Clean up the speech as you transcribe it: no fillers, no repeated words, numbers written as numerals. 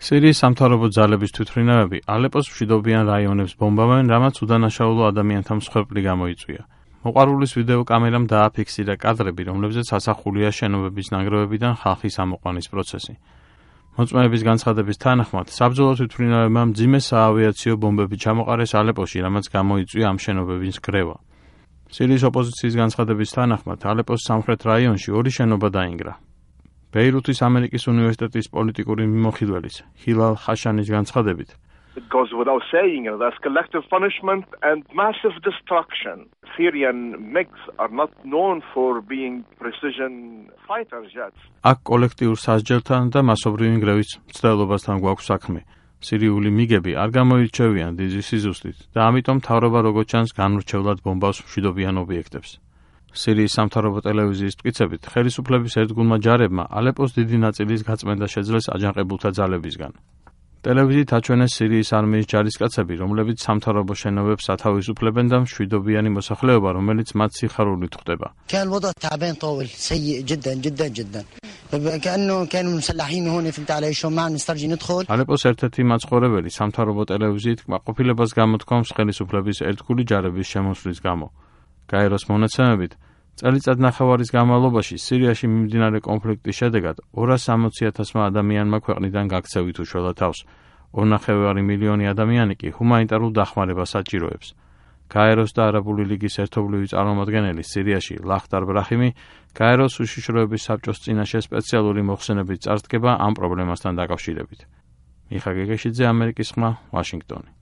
სირიის სამთავრობო ძალების თვითმფრინავები ალეპოს მშვიდობიან რაიონებს ბომბავენ, რამაც უდანაშაულო ადამიანთა მსხვერპლი გამოიწვია. მოყვარულის ვიდეო კამერამ დააფიქსირა კადრები, რომლებზეც ასახულია შენობების ნანგრევებიდან ხალხის ამოყვანის პროცესი. მოწმეების განცხადების თანახმად, საბრძოლო თვითმფრინავებმა მძიმე საავიაციო ბომბები ჩამოყარეს ალეპოში, რამაც გამოიწვია ამ შენობების ნგრევა. სირიის ოპოზიციის განცხადების თანახმად, ალეპოს სამხრეთ რაიონში 2 შენობა დაინგრა. ბეირუთის ამერიკის უნივერსიტეტის პოლიტიკური მიმოხილველის ჰილალ ხაშანის განცხადებით, It goes without saying, there's collective punishment and massive destruction. Syrian MiGs are not known for being precision fighter jets. აქ კოლექტიურ სასჯელთან და მასობრივი ნგრევის მცდელობასთან გვაქვს საქმე. სირიული მიგები არ გამოირჩევიან დიდი სიზუსტით და ამიტომ მთავრობა როგორც ჩანს განურჩევლად ბომბავს მშვიდობიან ობიექტებს. სირიის სამთავრობო ტელევიზიის მტკიცებით, ხელისუფლების ერთგულმა ჯარებმა ალეპოს დიდი ნაწილის გაწმენდა შეძლეს აჯანყებულთა ძალებისგან. ტელევიზიით აჩვენეს სირიის არმიის ჯარისკაცები, რომლებიც სამთავრობო შენობებს სათავისუფლებენ და მშვიდობიანი მოსახლეობა, რომელიც მათ სიხარულით ხვდება. كان الوضع تعبان طول سيء جدا جدا جدا كانوا مسلحين هون فهمت علي شو ما نسترجي ندخل ალეპოს ერთ-ერთი მაცხოვრებელი სამთავრობო ტელევიზიით კმაყოფილებას გამოთქვამს ხელისუფლების ერთგული ჯარების შემოსვლის გამო. გაეროს მონაცემებით, წელიწად ნახევარის განმავლობაში სირიაში მიმდინარე კონფლიქტის შედეგად 260,000 ადამიანმა ქვეყნიდან გაქცევით უშველა თავს. 2,5 მილიონი ადამიანი კი ჰუმანიტარულ დახმარებას საჭიროებს. გაეროს და არაბული ლიგის ერთობლივი წარმომადგენელი სირიაში ლახტარ ბრაჰიმი გაეროს უშიშროების საბჭოს წინაშე სპეციალური მოხსენებით წარდგება ამ პრობლემასთან დაკავშირებით. მიხა გეგეშიძე, ამერიკის ხმა, ვაშინგტონი.